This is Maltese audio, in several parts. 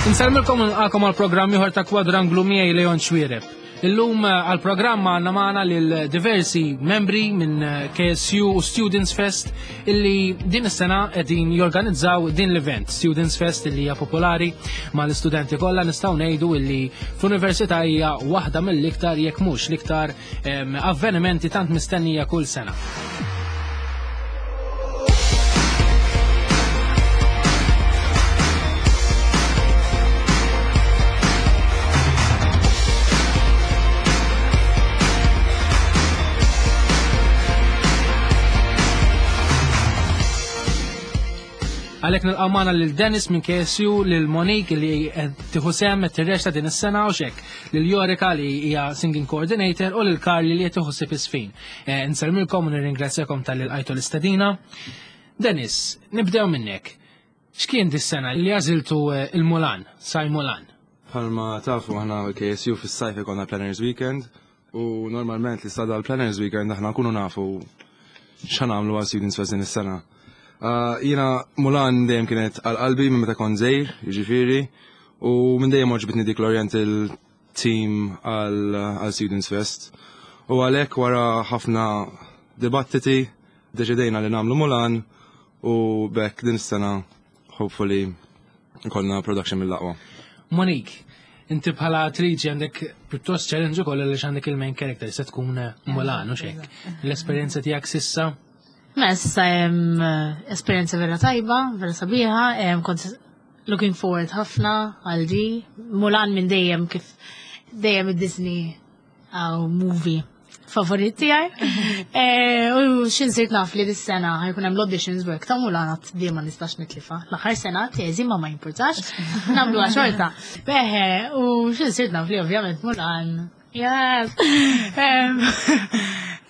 Insellmilkom u nilqakom għal programm ieħor ta' Kwadranglu miegħi Leon Xwiereb. Illum eh, għal programm għandna magħna lil diversi membri minn eh, KSU u Students Fest illi din is-sena qegħdin jorganizzaw din l-event Students Fest illi hija popolari mal-istudenti kollha nistgħu ngħidu illi fl-università hija waħda mill-iktar jekk mhux l-iktar avvenimenti tant mistennija kull sena. Għalhekk nilqgħu magħna lil Dennis minn KSU, lil Monique li qed tieħu sehem qed tirrexta din is-sena u xek, lil Jorika li hija singing coordinator u lil Karli li qed tieħu ħsieb is-sfin. Eh, Nsellmilkom u nirringrazzjakom tal-li lqajtu l-istedina. Dennis, nibdew minnek. X'kien dis-sena li għażiltu eh, il-Mulan, Saj Mulan? Bħalma tafu aħna KSU fis-sajf ikonna Planners Weekend u normalment li sada l-Planners Weekend aħna nkunu nafu x'għamlu għal Students Fest din is-sena. Uh, jiena Mulan dejjem kienet għal qalbi minn meta kont żgħir, jiġifieri, u minn dejjem għoġbitni dik l-Oriental team għal Students Fest. U għalhekk wara ħafna dibattiti deċidejna li nagħmlu Mulan u bekk din is-sena hopefully ikollna production mill-aqwa. Monique, inti bħala attriċi għandek pjuttost challenge ukoll għaliex għandek il-main character se tkun Mulan u xek. L-esperjenza tiegħek sissa? Mela sissa hemm eh, esperjenza vera tajba, vera sabiħa, kont looking forward ħafna għal di. Mulan minn dejjem kif dejjem id-Disney għaw movie favorit tiegħi. Eh, u xin sirt naf li dis-sena ħajkun hemm l-auditions work ta' Mulan għad di ma nistax nitlifa. L-aħħar sena teżi ma ma jimpurtax, nagħmluha xorta. Beħe, u xin sirt naf li ovvjament Mulan. Yes.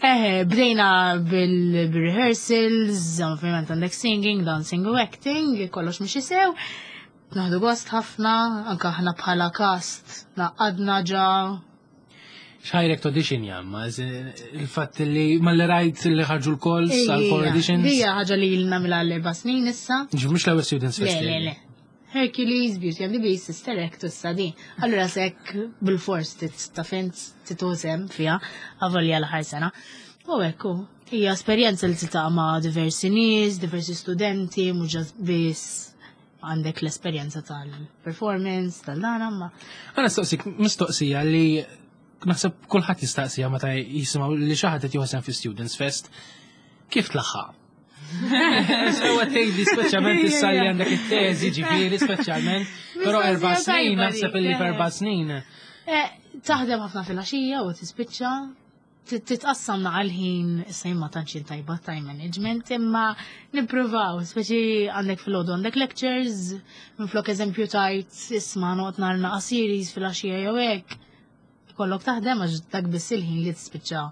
Eh, bdejna bil-rehearsals, ovvjament għandek singing, dancing u acting, kollox mhux sew. Naħdu gost ħafna, anka aħna bħala cast naqadna ġa Xħajrek audition jamma, il-fatt li malli rajt li ħarġu l-calls għal four auditions. Hija ħaġa li ilna mela l-erba' snin issa. Ġi mhux l-ewwel Students Fest. Le, le, le. Hercules, Beauty and the Beast, Sister Act u s-sadi. Allura sekk bil-fors ta' fint titużem fija, għavolja l-ħar sena. U ekku, hija esperjenza li tiltaqa' ma' diversi nies, diversi studenti, mhux biss għandek l-esperjenza tal-performance, tal-dana, ma. Għana staqsik mistoqsija li naħseb kulħadd jistaqsija meta jisimgħu li xi ħadd qed jieħu fi Students Fest. Kif tlaħħaq? Sewa tgħidli speċjalment issa li għandek it-teżi ġifieri speċjalment, però erba' snin naħseb illi f'erba' snin. Eh, taħdem ħafna fil-għaxija u tispiċċa titqassam naqa l-ħin, issa jien ma tantx jien tajba time management, imma nippruvaw, speċi għandek fil-għodu għandek lectures, minflok eżempju tajt isma' noqgħod nara naqa series fil-għaxija jew hekk, ikollok taħdem għax dak biss il-ħin li tispiċċa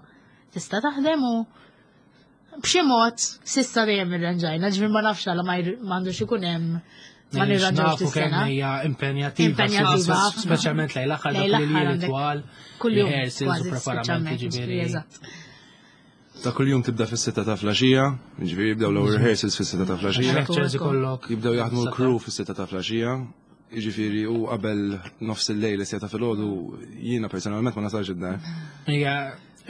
tista' taħdem u b'xi mod sissa dejjem irranġajna, ġifier ma nafx għala ma m'għandux ikun hemm ma nirranġawx Nafu kemm dis-sena. hija impenjattiva, Impenjattiva ħafna. speċjalment lejn l-aħħar dak Lejn li l-aħħar li għandek twal, Kuljum rehearsals u kważi preparamenti speċjalment, ġifieri. Eżatt. Ta' kuljum tibda fis-sitta ta' flaxija, ġifieri jibdew l-ewwel rehearsals fis-sitta ta' flaxija. Lectures ikollok. Jibdew jaħdmu l-crew fis-sitta ta' flaxija, jiġifieri u qabel nofs il-lejl is-sitta filgħodu jiena personalment ma nasalx id-dar. Hija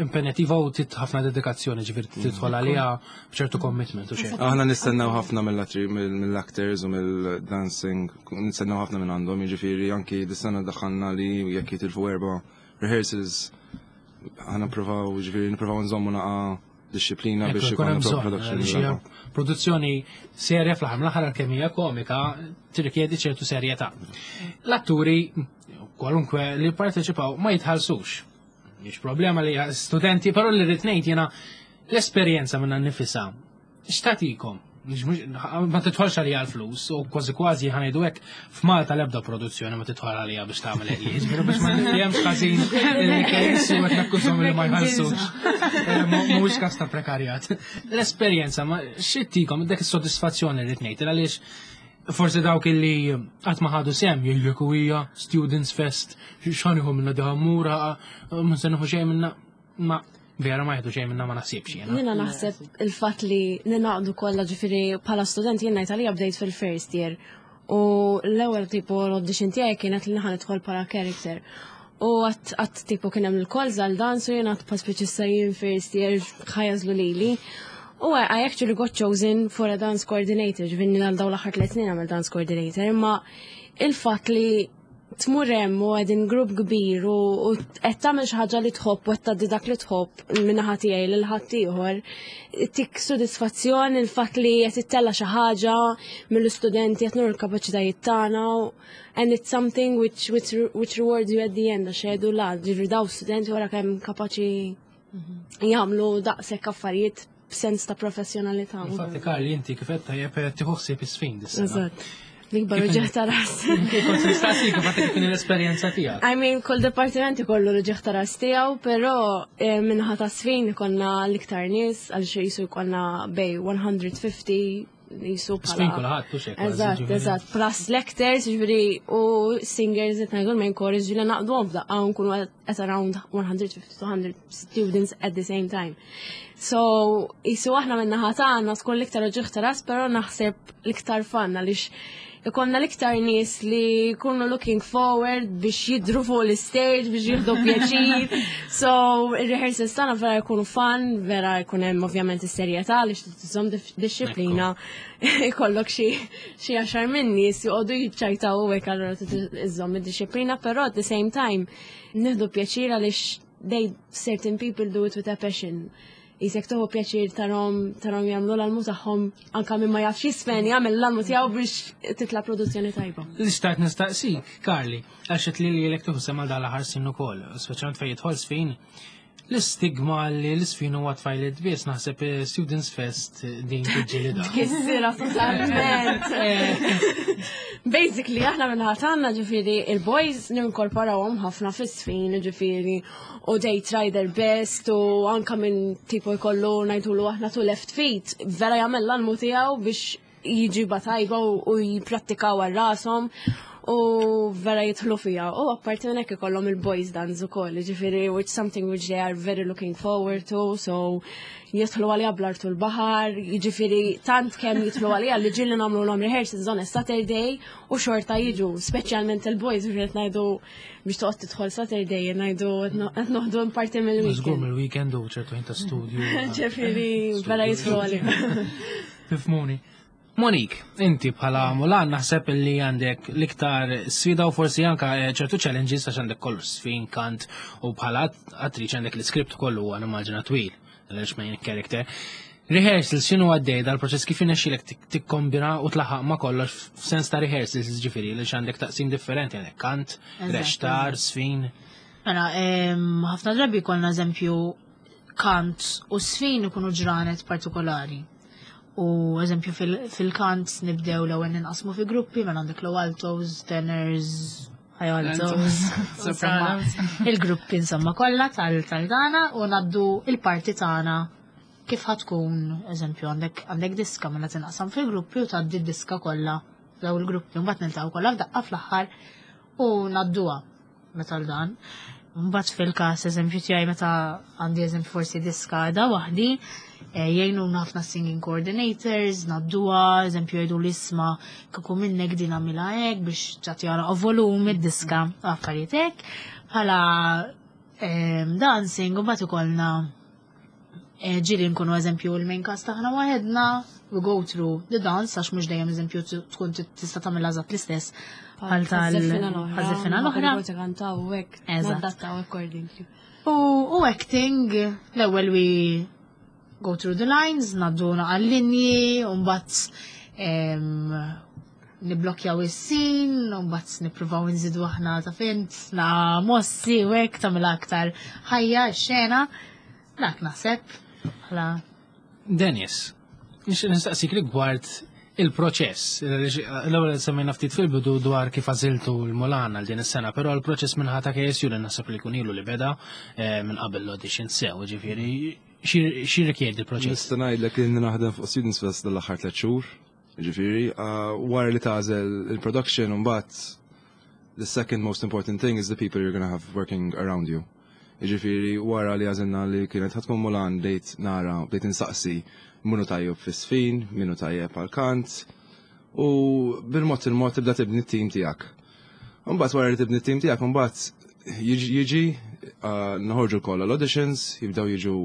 impenjativa u tit ħafna dedikazzjoni ġifieri tidħol għaliha b'ċertu commitment u xejn. Aħna nistennew ħafna mill-attri mill-actors u mill-dancing, nistennew ħafna minn għandhom, jiġifieri anki dis-sena daħħalna li jekk jitilfu erba' rehearsals aħna nippruvaw, jiġifieri nippruvaw nżommu naqa' disċiplina biex Ikun hemm ikollna bżonn, production. għaliex hija produzzjoni serja fl-aħħar mill-aħħar għalkemm hija komika tirrikjedi ċertu serjetà. L-atturi kwalunkwe li parteċipaw ma jitħallsux. Mhix problema li studenti, però li rrid ngħid jiena l-esperjenza minna nifisha x'tagħtikom? Ma tidħolx għalija l-flus u kważi kważi ħanejdu hekk f'Malta l-ebda produzzjoni ma tidħol għalija biex tagħmel hekk. Ġifieri biex ma nifhemx ħażin illi kejsu qed nakkużhom li ma jħallsux. Eh, Mhuwiex każ ta' prekarjat. L-esperjenza ma x'ittikom dak is-sodisfazzjoni li ngħid għaliex forsi dawk illi qatt ma ħadu sem jgħidlek u hija Students Fest x'ħaniħu minna diħammura ma se nieħu xejn minna ma vera ma jieħdu xejn minna ma naħsibx jiena. Jiena naħseb il-fatt li ninaqdu kollha ġifieri bħala student jien ngħid għalija bdejt fil-first year. U l-ewwel tipo l-audition tiegħi kienet li ħa nidħol bħala character. U għat tipo kien hemm il-calls għal dance u jien għat pa speċi jien first year ħa jagħżlu lili. U I actually got chosen for a dance coordinator, ġifieri għal daw l-aħħar 3 snin għamel dance coordinator, imma il-fatt li tmur hemm u qegħdin grupp kbir u qed tagħmel xi ħaġa li tħobb u qed tgħaddi dak li tħobb min-naħa tiegħi lil ħaddieħor, tik sodisfazzjon il-fatt li qed ittella' xi ħaġa mill-istudenti, qed nuru l-kapaċitajiet tagħna and it's something which rewards you at the end, għax jgħidu la, ġifieri daw studenti wara kemm kapaċi jagħmlu daqshekk affarijiet b'sens ta' professjonalità. Infatti, Karli, inti kif qed tajjeb tieħu ħsieb is-sfin dis-sena. Eżatt. L-ikbar uġigħ ta' ras. Kont nistaqsik kif għatek kien l-esperjenza tiegħek. I mean, kull departiment ikollu l-uġigħ ta' ras tiegħu, però min-naħa ta' sfin ikollna l-iktar nies għal xi jisu jkollna bej 150 jisu bħala. Sfin kulħadd, hux hekk, kważi, Eżatt, ġifieri. Eżatt, plus lectors, ġifieri, u singers qed ngħidu l-main chorus, ġifieri naqduhom f'daqqa u nkunu at around 150 to 100 students at the same time. So, jisu aħna min-naħa tagħna tkun l-iktar uġigħ ta' ras, però naħseb l-iktar fun għaliex ikonna l-iktar nies li jkunu looking forward biex jidru fuq l-stage, biex jieħdu pjaċir. So, il-rehearsals tagħna vera jkunu fun, vera jkun hemm ovvjament is-serjetà li tżomm disċiplina. Ikollok xi 10 minn nies joqogħdu jiċċajtaw u hekk, allura trid iżżomm id-disċiplina, però at the same time nieħdu pjaċir għaliex certain people do it with a passion. Jisek tuħu pjaċir tarom jagħmlu l-almu tagħhom, anka minn ma jafx jisfen jagħmel l-almu tiegħu biex titla' produzzjoni tajba. L-istat nistaqsik, Karli, għax li l tieħu sehem dal-aħħar snin ukoll, speċjalment fejn jidħol sfin, l-istigma li l-isfin huwa tfajliet biss, naħseb Students Fest din tiġġielidha. Tkissirha totalment. Basically, aħna min-naħa tagħna, ġifieri, il-boys ninkorporawhom ħafna fis-sfin, ġifieri, u they try their best, u anka minn tipo jkollu ngħidulu aħna two left feet, vera jagħmel l-almu tiegħu biex jiġiba tajba u jipprattikaw għal rashom u vera jidħlu fija. U apparti minn hekk ikollhom il-boys dance ukoll, ġifieri, which something which they are very looking forward to, so jidħlu għalija bl-artu l-baħar, jiġifieri tant kemm jidħlu għalija li ġieli nagħmlu l rehearsals on a Saturday u xorta jiġu, speċjalment il-boys, ġifieri qed ngħidu biex toqgħod tidħol Saturday, ngħidu qed noħdu parti Żgur mill-weekend. mill-weekend u ċertu ħin ta' studju. Ġifieri vera jidħlu għalija. Tifhmuni. Monique, inti bħala Mulan naħseb li għandek l-iktar sfida u forsi anka ċertu challenges għax għandek kollu sfin, kant u bħala attriċi għandek l-iskript kollu għan immaġina twil, għaliex main character. Rehearsals, x'inhu għaddej dal-proċess, kif inexxilek tikkombina u tlaħaq ma kollox f'sens ta' rehearsals, ġifieri li għandek taqsim differenti, għandek kant, reċtar, sfin. Mela, ħafna drabi konna eżempju kant u sfin ikunu ġranet partikolari. U eżempju fil-kant nibdew l-ewwel ninqasmu fi gruppi, mela għandek low altos, tenors, high altos, insomma, il-gruppi insomma kollha tal-dana u naddu il-parti tagħna kif ħatkun, eżempju, għandek diska, mela tinqasam fil-gruppi u tgħaddi d-diska kollha daw il-gruppi, mbagħad niltaqgħu kollha f'daqqa fl-aħħar u nadduha meta l-dan. Mbagħad fil-każ eżempju tiegħi meta għandi eżempju forsi diska da waħdi, jgħinuna ħafna singing coordinators, nadduha, eżempju jgħidu l-isma kieku minnek din għamilha hekk biex tagħti għala volum id-diska, affarijiet hekk. Bħala dancing, u mbagħad ikollna ġieli nkunu eżempju l-main cast aħna waħedna, we go through the dance, għax mhux dejjem eżempju tkun tista' tagħmilha eżatt l-istess bħal tal Żeffina l-oħra. Għaż-żeffina l-oħra. Kantaw u hekk. Eżatt. Nadattaw accordingly. U acting, l-ewwel we go through the lines, nadduna għal-linji, u mbagħad niblokjaw is-scene, u mbagħad nippruvaw nżidu aħna ta' fint, na mossi u hekk tagħmilha aktar ħajja x-xena. Dak naħseb. Bħala Dennis, nistaqsik rigward il-proċess. L-ewwel semmejna ftit fil-bidu dwar kif għażiltu l-Mulan għal din is-sena, però l-proċess minn ħata KSU li naħseb li jkun ilu li beda minn qabel l-audition sew, ġifieri xi rikjedi l-proċess? Nista' ngħidlek li naħdem fuq Students Fest dal-aħħar 3 xhur, ġifieri, wara li tagħżel il-production mbagħad the second most important thing is the people you're gonna have working around you. Ġifieri, wara li għażilna li kienet ħa tkun Mulan, bdejt nara, bdejt insaqsi minu tajjeb fis-sfin, minu tajjeb għal-kant. U bil-mod il-mod tibda tibni t-tim tiegħek. Imbagħad wara li tibni t-tim tiegħek, imbagħad jiġi noħorġu kollha l-auditions, jibdew jiġu,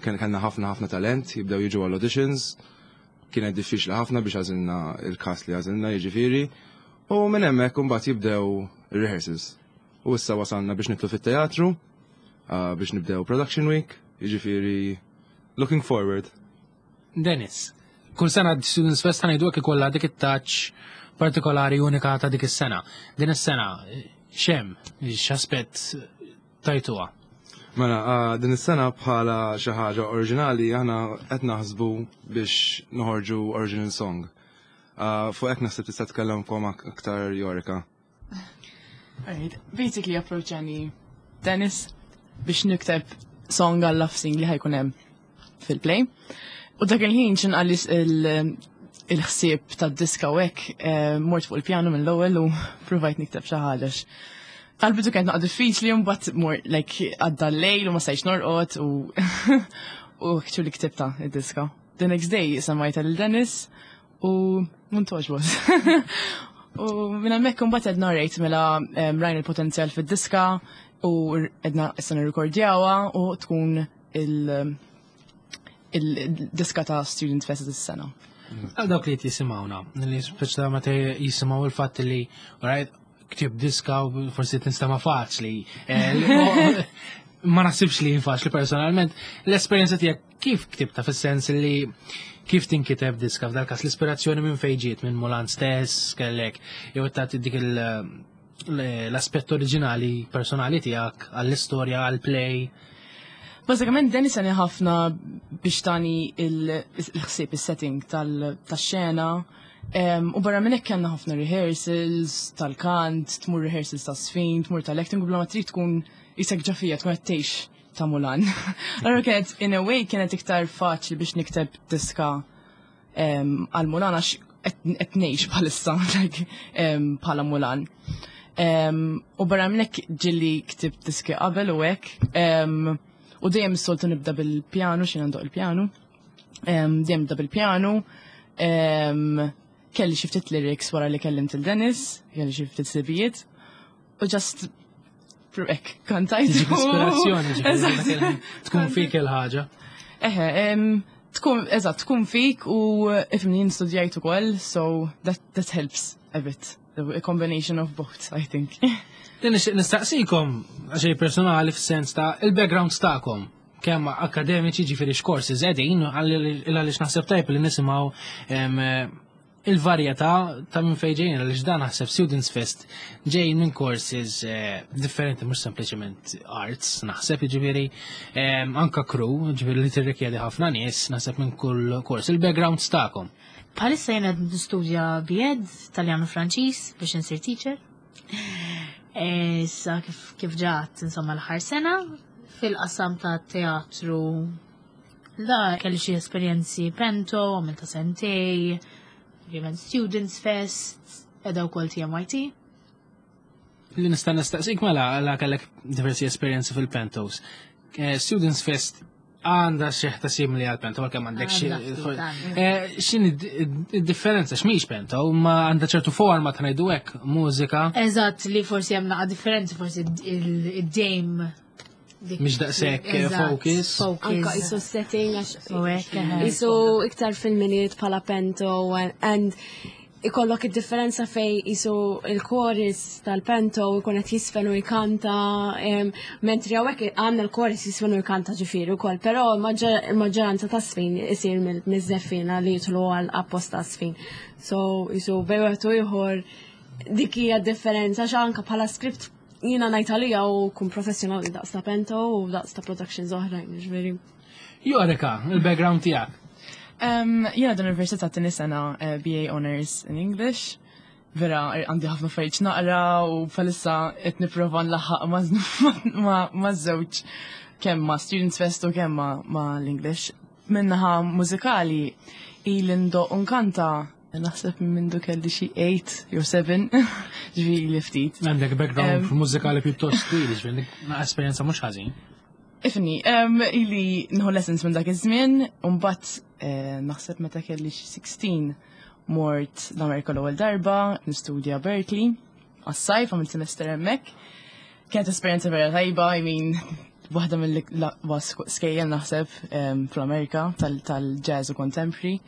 kellna ħafna ħafna talent, jibdew jiġu għall-auditions, kienet diffiċli ħafna biex għażilna il-cast li għażilna, jiġifieri, u minn hemmhekk imbagħad jibdew ir-rehearsals. U issa wasalna biex nidħlu fit-teatru, biex nibdew Production Week, jiġifieri looking forward. Dennis, kull sena Students Fest ħa ngħidu hekk ikollha dik it-touch partikolari unika ta' dik is-sena. Din is-sena x'hemm, x'aspett tajtuha? Mela, din is-sena bħala xi ħaġa oriġinali aħna qed naħsbu biex noħorġu original song. Fuq hekk naħseb tista' tkellemkom aktar Jorika. Alright, basically approachani Dennis biex nikteb song għal love scene li ħa jkun hemm fil-play. U dak il-ħin x'ħin qalli il-ħsieb tad-diska u hekk, mort fuq il-pjanu mill-ewwel u provajt nikteb xi ħaġa. Għal-bidu kienet naqra diffiċli, mbagħad mor like għadda l-lejl u ma stajtx norqod u actually ktibta id-diska. The next day semmajtha lil Dennis u għoġbot. U minn hemmhekk imbagħad għedna rejt mela rajna il-potenzjal fid-diska u għedna issa nirrikordjawha u tkun il-diska ta' Student Fest is-sena. Għal dawk li jisimgħuna, li speċa meta jisimgħu il-fatt li, right, ktib diska u forsi tinstema faċli. Ma naħsibx li faċli personalment. L-esperjenza tiegħek kif ktibta, fis-sens li kif tinkiteb diska, f'dal każ l-ispirazzjoni minn fejn ġiet, minn Mulan stess kellek, jew tagħti dik l-aspett oriġinali personali tiegħek għall-istorja, għall-play? Bażikament Dennis għeni ħafna biex tani il-ħsieb, il-setting tal-xena. U barra minn hekk kellna ħafna rehearsals tal-kant, tmur rehearsals ta' sfin, tmur tal-acting, u bla ma trid tkun qisek ġo fija, tkun qed tgħix ta' Mulan. Allora kienet, in a way, kienet iktar faċli biex nikteb diska għal Mulan għax qed ngħix bħalissa like, bħala Mulan. U barra minn hekk ġieli ktibt diski qabel u hekk. U dejjem s-soltu nibda bil-pjanu, xi ndoqq il-pjanu. Dejjem nibda bil-pjanu. Kelli xi ftit lyrics wara li kellimt il-Dennis, kelli xi ftit ħsibijiet. U just hekk, kantajt. Tiġik ispirazzjoni, ġifieri, tkun fik il-ħaġa. Eħe, tkun, eżatt, tkun fik u ifhimni jien studjajt ukoll, so that helps a bit. A combination of both, I think. Din nixtieq nistaqsikom għaxej personali fis-sens ta' il-backgrounds tagħkom kemm akademiċi, ġifieri x'courses qegħdin, għaliex naħseb tajb li nisimgħu il-varjetà ta' minn fejn ġejjin, għaliex dan naħseb Students Fest ġejjin minn courses differenti, mhux sempliċement arts, naħseb jiġifieri anka crew, ġifieri li tirrikjedi ħafna nies, naħseb minn kull kors. Il-backgrounds tagħkom. Bħalissa jiena nistudja B.Ed Taljan u Franċiż biex insir teacher. Issa kif ġat insomma l-aħħar sena fil-qasam ta' teatru da kelli xi esperjenzi panto, għamilta sentejn, ovvjament Students Fest, edha wkoll TMYT. Li nista' nistaqsik mela għala kellek diversi esperjenzi fil-pantos. Students Fest għandha xi ħta simili għal panto, għalkemm għandek xi Għandha ftit, għandha. X'inhi id-differenza, x'mhix panto, ma għandha ċertu forma ta' ngħidu hekk, mużika. Eżatt, li forsi hemm naqa' differenzi, forsi id-dame Mhix daqshekk Eżatt, focus. Focus. Anka qisu setting għax U hekk, eħe. qisu iktar fil-Milied bħala panto and ikollok id-differenza fej qisu il-chorus tal-panto ikun qed jisfen u jkanta, mentri hawnhekk għandna l-chorus jisfen u jkanta ġifieri wkoll, però il-maġġoranza ta' sfin isir miż-żeffina li jidħlu għal apposta sfin. So qisu bejn wieħed u ieħor dik hija differenza għax anka bħala script jiena ngħid għalija u kun professjonali daqs ta' panto u daqs ta' productions oħrajn, ġifieri. Jorika, il-background tiegħek. Jiena d-università t sena BA Honors in English. Vera, għandi ħafna affarijiet naqra u bħalissa qed nipprova nlaħħaq ma' żewġ, kemm ma' Students Fest u kemm ma' l-English. Minnaħa mużikali ili ndoqq u nkanta naħseb minn mindu kelli xi 8 jew 7, ġifieri li ftit. Għandek background mużikali pjuttost twil, ġifieri esperjenza mhux ħażin. Ifhimni, ili nieħu lessons minn dak iż-żmien, u mbagħad naħseb meta kelli xi 16. Mort l-Amerika l-ewwel darba, nistudja Berkeley, għas-sajf għamilt semester hemmhekk. Kienet esperjenza vera tajba, I mean, waħda mill-aqwa skejjel naħseb fl-Amerika tal-jazz u contemporary.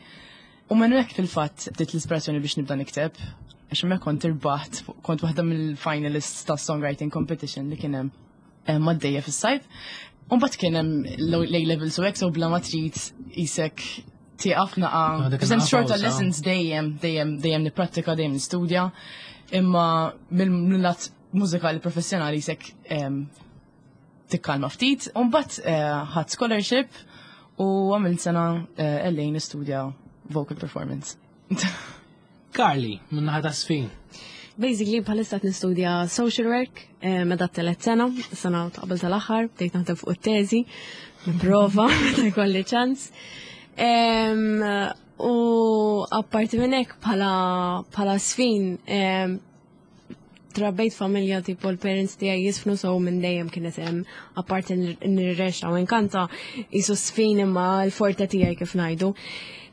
U minn hekk fil-fatt bdiet l-ispirazzjoni biex nibda nikteb, għax hemmhekk kont irbaħt, kont waħda mill-finalists ta' songwriting competition li kien hemm għaddejja fis-sajf. U mbagħad kien hemm l-A levels u hekk, so bla ma trid isek tieqaf naqa. Dik xorta lessons dejjem, dejjem, dejjem nipprattika, dejjem nistudja. Imma mill-lat mużikali professjonali isek tikkalma ftit. U mbagħad ħadt scholarship u għamilt sena LA nistudja vocal performance. Carly, min-naħa ta' żfin. Basically, bħalissa qed nistudja social work, meda t-telet sena, sena ta' qabel tal-aħħar, bdejt naħdem fuq it-teżi, nipprova meta jkolli ċans. U apparti minn hekk bħala żfin, trabbejt familja tipo l-parents tiegħi jiżfnu, so minn dejjem kienet hemm, apparti nirreċta u nkanta, jisu żfin imma l-forte tiegħi kif ngħidu.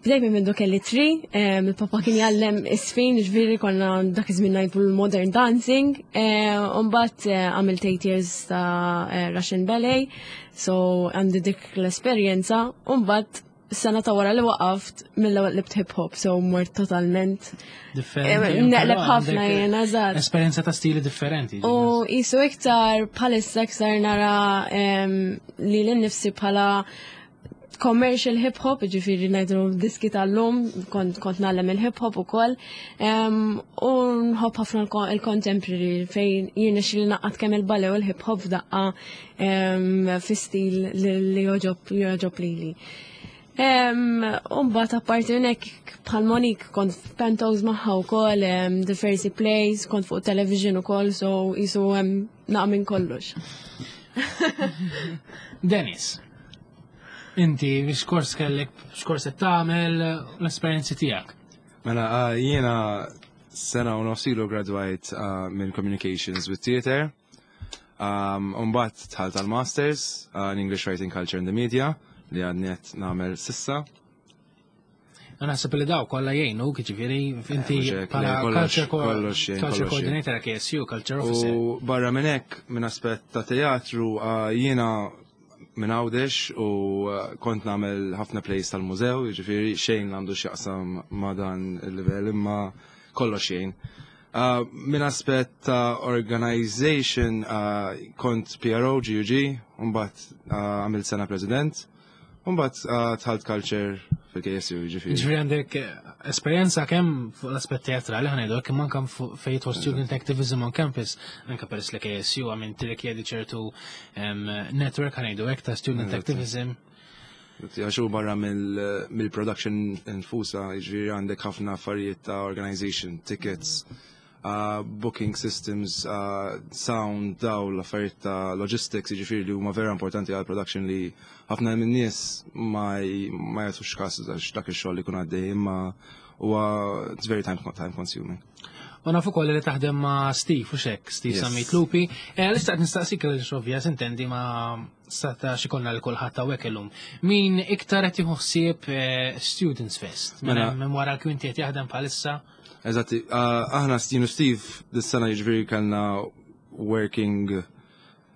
Bdejt minn mindu kelli 3, il-papa kien jgħallem iż-żfin, ġifieri konna dak iż-żmien ngħidu l-modern dancing, u mbagħad għamilt 8 years ta' Russian ballet, so għandi dik l-esperjenza, u mbagħad sena ta' wara li waqaft mill-ewwel qlibt hip hop, so mort totalment differenti. Neqleb Però ħafna għandek jiena, eżatt. Esperjenza ta' stili differenti. U jisu iktar bħalissa iktar nara li l-nifsi bħala commercial hip hop, ġifieri ngħidu diski tal-lum, kont nagħlem il-hip hop ukoll. U nħobb ħafna il-contemporary fejn jiena xi naqgħad kemm il-ballet u l-hip hop f'daqqa, fi stil li joġob lili. U mbagħad apparti minn hekk bħal Monique kont f'Pentos magħha wkoll, diversi plays, kont fuq television ukoll, so jisu hemm naqa' minn kollox. Dennis, inti x'kors kellek, x'kors qed tagħmel, l-esperjenzi tiegħek? Mela, jiena sena u nofs ilu gradwajt minn Communications with Theatre. Mbagħad dħalt għal-Masters in English Writing Culture and the Media li għadni qed nagħmel s'issa. Naħseb li daw kollha jgħinu, jiġifieri inti Mhux hekk, bħala le, kollox, culture kollox jgħin, culture kollox jgħin. coordinator KSU, culture officer. U barra minn hekk, minn aspett ta' teatru, jiena minn Għawdex u kont nagħmel ħafna plays tal-mużew, jiġifieri xejn għandu x'jaqsam ma' dan il-livell, imma kollox jgħin. Minn aspett ta' organization, kont PRO, GUG, u mbagħad għamilt sena president, u mbagħad dħalt culture fil-KSU, jiġifieri. Ġifieri għandek esperjenza kemm fuq l-aspett teatrali ħa ngħidu, kemm anke fuq fejn jidħol student activism on campus, anke peress li KSU għamil tirrikjedi ċertu network ħa ngħidu hekk ta' student activism. Għax hu barra mill-production infusa, jiġifieri għandek ħafna affarijiet ta' organization, tickets, booking systems, sound, dawl, affarijiet ta' logistics, jiġifieri li huma vera importanti għal production li ħafna minn nies ma jagħtux każ għax dak ix-xogħol li jkun għaddej, imma huwa it's very time consuming. U nafu ukoll li taħdem ma' Steve, u xek, Steve Yes. Sammit Lupi. L-istaqt nistaqsik li ovvja, sintendi ma sata xikolna li kulħadd hawnhekk illum. Min iktar qed jieħu ħsieb Students Fest? Minn Mela. hemm wara l-kwinti qed jaħdem bħalissa? Eżatti, aħna Steve u Steve dis-sena jiġifieri kellna working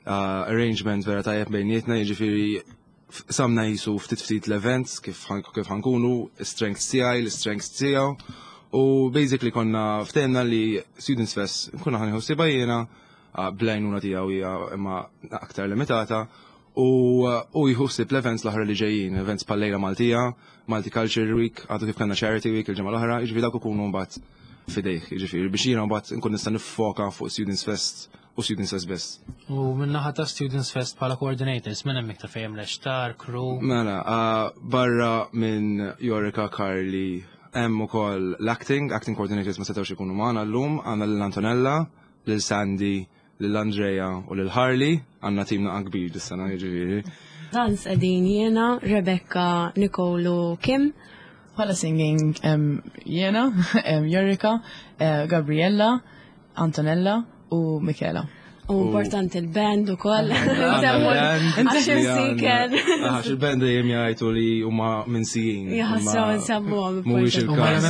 arrangement vera tajjeb bejnietna, jiġifieri samna jisu ftit ftit l-events kif ħankunu, strengths tiegħi, l-strengths tiegħu. U basically konna ftehemna li Students Fest nkunu ħa nieħu ħsiebha jiena, bl-għajnuna tiegħu hija imma aktar limitata, u jieħu ħsieb l-events l-oħra li ġejjin, events bħal-Lejla Maltija, Malti Culture Week, għadu kif kellna Charity Week il-ġimgħa l-oħra, jiġifieri dawk ikunu mbagħad fidejh, jiġifieri biex jiena mbagħad nkun nista' niffoka fuq Students Fest u Students Fest biss. U min-naħa ta' Students Fest bħala coordinators, minn hemm iktar fejn l-extar, crew? Mela, barra minn Jorika, Carly, hemm ukoll l-acting, acting coordinators ma setgħux ikunu magħna llum, għandna lil Antonella, lil Sandy, lil Andrea u lil Harley, għandna tim naqa kbir dis-sena, jiġifieri. Dans qegħdin jiena, Rebecca, Nicole u Kim. Bħala singing jiena, Jorika, Gabriella, Antonella u Michela. U importanti il-band ukoll. Għax il-siken. Għax il-band dejjem jgħidu li huma minsijin. Jaħasra nsemmuhom. Mhuwiex il-każ.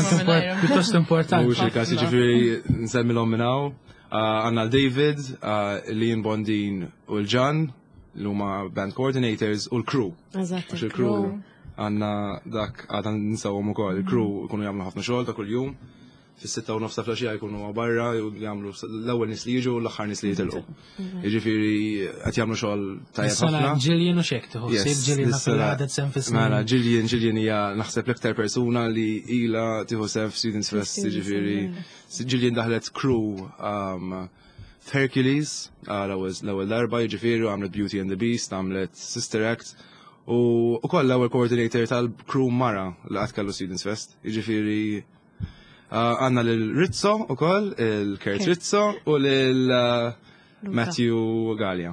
Pjuttost importanti. Mhuwiex il-każ, jiġifieri nsemmilhom minn hawn. Għandna l-David, Liam Bondin u l-Ġan, li huma band coordinators u l-crew. Eżatt. Il-crew għandna dak għadna ninsawhom ukoll. Il-crew ikunu jagħmlu ħafna xogħol ta' kuljum. Fis-6:30 ta' filgħaxija jkunu barra jagħmlu l-ewwel nies li jiġu u l-aħħar nies li jitilqu. Jiġifieri qed jagħmlu xogħol tajjeb ħafna. Ġillian u xek tieħu ħsieb Ġillian naf li ħadet sehem fis-snin. Mela Ġillian Ġillian hija naħseb l-iktar persuna li ilha tieħu sehem f'Students Fest, jiġifieri Ġillian daħlet crew f'Hercules l-ewwel darba, jiġifieri għamlet Beauty and the Beast, għamlet Sister Act u wkoll l-ewwel coordinator tal-crew mara li qatt kellu Students Fest, jiġifieri Għanna lil Rizzo u koll, il-Kurt Rizzo u lil Matthew Gallia.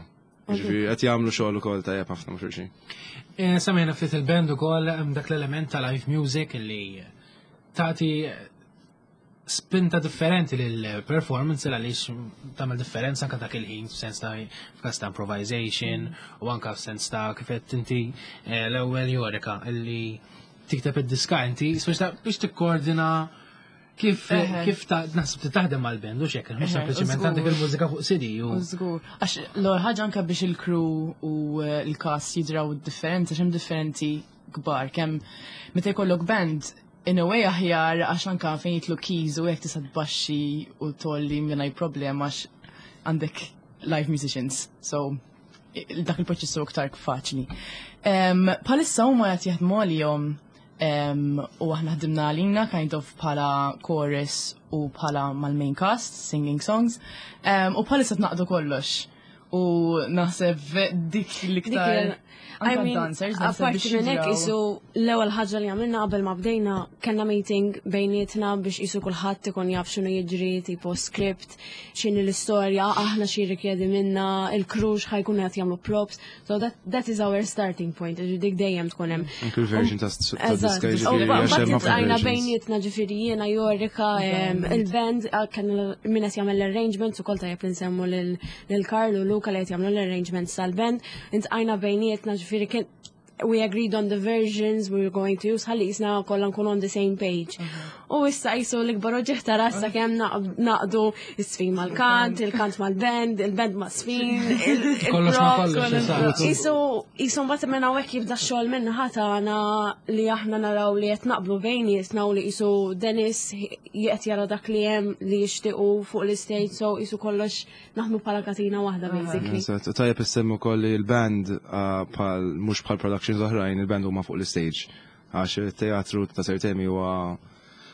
Ġifieri qed jagħmlu xogħol ukoll tajjeb ħafna ma' xulxin. Semmejna ftit il-band ukoll hemm dak l-element ta' live music li tagħti spinta differenti lil performance għaliex tagħmel differenza anke dak il-ħin f'sens ta' f'każ ta' improvisation u anke f'sens ta' kif qed inti l-ewwel Jorika illi tikteb id-diska inti, biex tikkoordina kif kif ta' naħseb taħdem mal-band u xekk, mhux sempliċement għandek il-mużika fuq CD u. Żgur. Għax l-ewwel ħaġa anke biex il-crew u l-cast jidraw differenza x'hemm differenti kbar kemm meta jkollok band in a way aħjar għax anke fejn jitlu keys u hekk tista' tbaxxi u tolli mingħajr problema għax għandek live musicians. So dak il-proċess huwa iktar faċli. Bħalissa huma qed jaħdmu għalihom u aħna ħdimna għalina kind of bħala chorus u bħala mal-main cast, singing songs, u bħalissa tnaqdu kollox. U naħseb dik l-iktar. I mean, dancers, naħseb apparti biex minn hekk jidraw. isu l-ewwel ħaġa li għamilna qabel ma bdejna kellna meeting bejnietna biex isu kulħadd ikun jaf x'inhu jiġri, tipo script, x'inhi l-istorja, aħna xi rikjedi minna, il-crew x'ħa jkunu qed jagħmlu props. So that is our starting point, ġifieri dik dejjem tkun hemm. Anke l-version ta' Eżatt. diska U jiġifieri għax hemm mbagħad ħafna iltqajna versions. bejnietna ġifieri jiena Jorika, il-band, kellna min qed jagħmel l-arrangements ukoll tajjeb li nsemmu lil Karl u Luka li qed jagħmlu l-arrangements tal-band. Iltqajna bejnietna ġifieri kien we agreed on the versions we were going to use ħalli jisna kollha nkunu on the same page. U issa jisu l-ikbar oġġeħ ta' rassa kemm naqdu is-sfin mal-kant, il-kant mal-band, il-band ma' sfin, Kollox ma' il-props. kollox, eżatt. Isu mbagħad minn hawnhekk jibda x-xogħol minn ħatana li aħna naraw li qed naqblu bejnietna u li isu Dennis qed jara dak li hemm li jixtiequ fuq l-istage, so isu kollox naħdmu bħala katina waħda basically. Eżatt, u tajjeb issemmu wkoll li l-band bħal mhux bħal productions oħrajn, il-band huma fuq l-stage. Għax il-teatru ta' Sir Temi huwa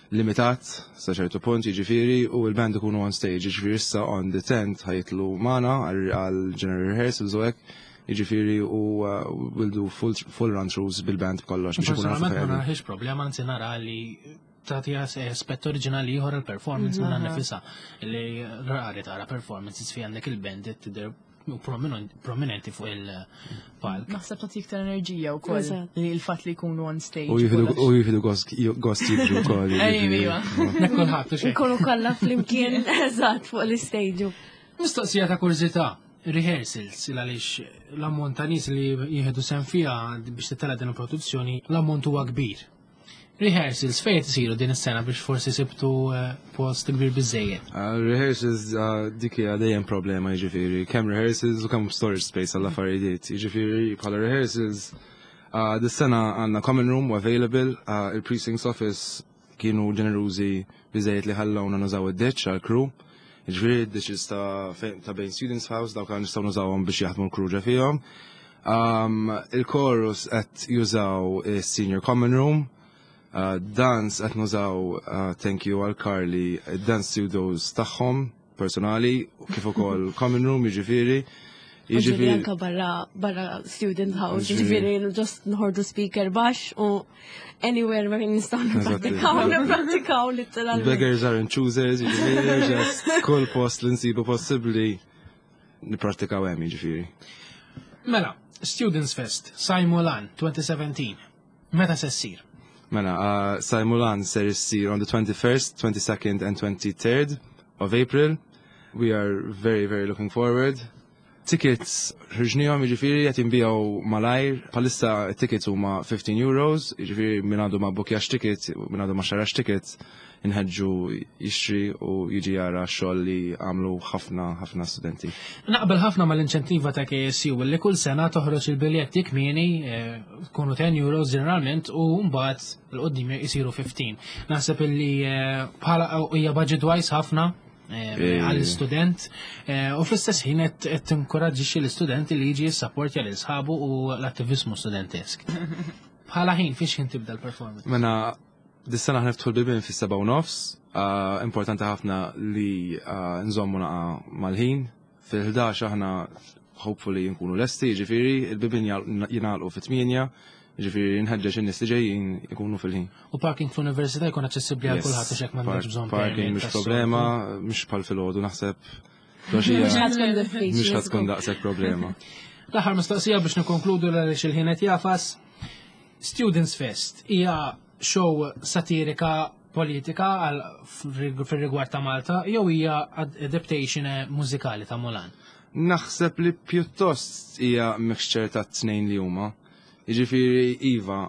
limitat sa ċertu punt, jiġifieri, u l-band ikunu on stage, jiġifieri issa on the 10th ħa jitilgħu magħna għal general rehearsals u hekk, jiġifieri u we'll do full run-throughs bil-band b'kollox biex ikunu nafu Personalment ma fejn. naraħiex problema, anzi nara li tagħti aspett oriġinali ieħor il-performance minnha nifisha li rari tara performances fi għandek il-band tidher prominenti fuq il-palk. Naħseb tagħti iktar enerġija wkoll Eżatt. li l-fatt li jkunu on stage. U jieħdu gost jiġu wkoll. Ejwa, iva. Nek kulħadd u xejn. Nkunu kollha flimkien eżatt fuq l-istage. Mistoqsija ta' kurżità, rehearsals, il għaliex l-ammont ta' nies li jieħdu sehem fiha biex titela' din il-produzzjoni, l-ammont huwa kbir. Rehearsals fejn isiru din is-sena biex forsi sibtu post kbir biżejjed? Rehearsals dik hija dejjem problema jiġifieri, kemm rehearsals u kemm storage space għall affarijiet. Jiġifieri bħala rehearsals dis-sena għandna common room available, il-precincts office kienu ġenerużi biżejjed li ħallawna nużaw id-ditch għal crew. Jiġifieri id-ditches ta' bejn Students House dawk nistgħu nużawhom biex jaħdmu l-crew ġa fihom. Il-chorus qed jużaw is-senior common room. Dance qed nużaw, thank you għal Carly, dance studios tagħhom personali kif ukoll common room jiġifieri. Jiġifieri anka barra student house, jiġifieri just nħorġu speaker baxx u anywhere ma nistgħu nipprattikaw literalment. Beggars aren't choosers, jiġifieri just kull post li nsibu possibbli nipprattikaw hemm jiġifieri. Mela, Students Fest, Sajmulan 2017. Meta se ssir? Mela, Sajmulan ser issir on the 21st, 22nd and 23rd of April. We are very, very looking forward. Tickets ħriġnihom jiġifieri qed jinbiegħu malajr. Bħalissa tickets huma 15 euros, jiġifieri min għandu ma bbukjax ticket, min għandu ma xarax ticket, inħeġġu jixtri u jiġi jara x-xogħol li għamlu ħafna ħafna studenti. Naqbel ħafna mal-inċentiva ta' KSU li kull sena toħroġ il-biljetti kmieni tkunu 10 euros ġeneralment u mbagħad l-qoddim jisiru 15. Naħseb illi bħala hija budget wise ħafna għall-student u fl-istess ħin qed tinkoraġġixxi l-istudenti li jiġi jissapportja lil sħabu u l-attiviżmu studentesk. Bħala ħin fiex ħin tibda l-performance? Mela dis-sena ħa niftħu l-bibien fis-7:30, importanti ħafna li nżommu naqa mal-ħin. Fil-11 aħna hopefully nkunu lesti, jiġifieri il-bibien jingħalqu fit-8, jiġifieri nħeġġeġ in-nies li ġejjin ikunu fil-ħin. U parking fl-università jkun aċċessibbli għal kulħadd u xek m'għandekx bżonn Parking mhux problema, mhux bħal filgħodu naħseb. Mhux ħa tkun diffiċli. Mhux ħa tkun daqshekk problema. L-aħħar mistoqsija biex nikkonkludu għaliex il-ħin qed jagħfas. Students Fest hija show satirika politika għal fil-rigward ta' Malta jew hija adaptation mużikali ta' Mulan? Naħseb li pjuttost hija mixture ta' tnejn li huma. Jiġifieri iva,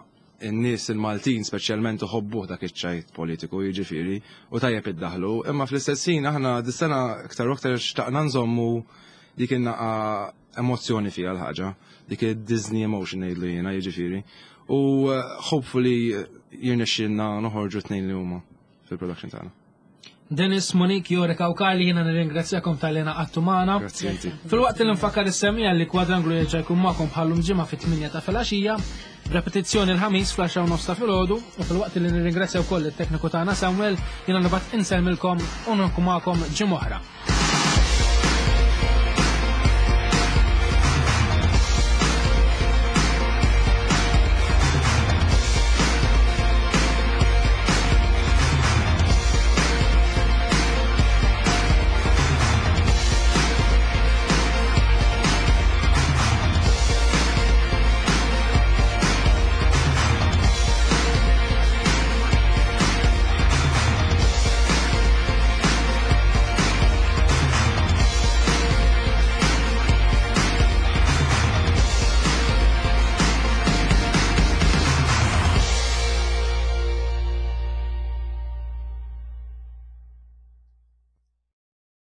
in-nies il-Maltin speċjalment iħobbuh dak iċ-ċajt politiku, jiġifieri, u tajjeb iddaħlu, imma fl-istess ħin aħna dis-sena aktar u aktar xtaqna nżommu dik in-naqa emozzjoni fiha l-ħaġa, dik id-Disney emotion ngħidlu jiena, jiġifieri. U hopefully jirnexxielna noħorġu tnejn li huma fil-production tagħna. Dennis, Monique, Jorika u Karli, jiena nirringrazzjakom talli ngħaqadtu magħna. Grazzi inti. Filwaqt li nfakkar is-semmiegħa li Kwadranglu jerġa' jkun magħkom bħallum ġimgħa fit-8 ta' filgħaxija, repetizzjoni l-ħamis fl-10:30 ta' filgħodu, u filwaqt li nirringrazzja wkoll it-tekniku tagħna Samuel, jiena nibgħat insellmilkom u nkun magħkom ġimgħa oħra.